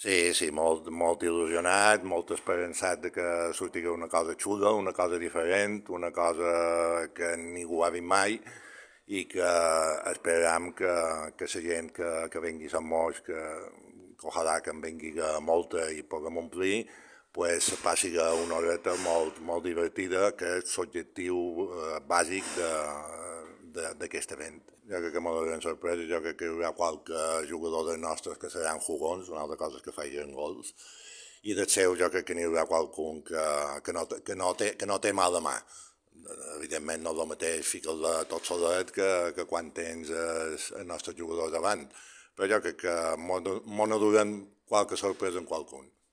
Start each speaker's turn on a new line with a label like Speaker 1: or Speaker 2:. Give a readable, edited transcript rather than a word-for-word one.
Speaker 1: Sí, sí, molt il·lusionat, molt esperançat de que sortirà una cosa xula, una cosa diferent, una cosa que ningú ha vist mai i que esperam que la gent que vengui a Sant Moix, que ojalà que en vengui molta i puguem omplir, pues passi una horeta molt divertida, que és l'objectiu bàsic d'aquest event. Jo crec que m'ha donat sorpresa, jo crec que hi haurà qualque jugador dels nostres que seran jugons, una altra cosa és que facin gols, i del seu jo crec que n'hi haurà qualcun que no té mal de mà. Evidentment no és el mateix ficar-la tot solet que quan tens el nostre jugador davant, però jo crec que m'ho durem qualque sorpresa en qualcun.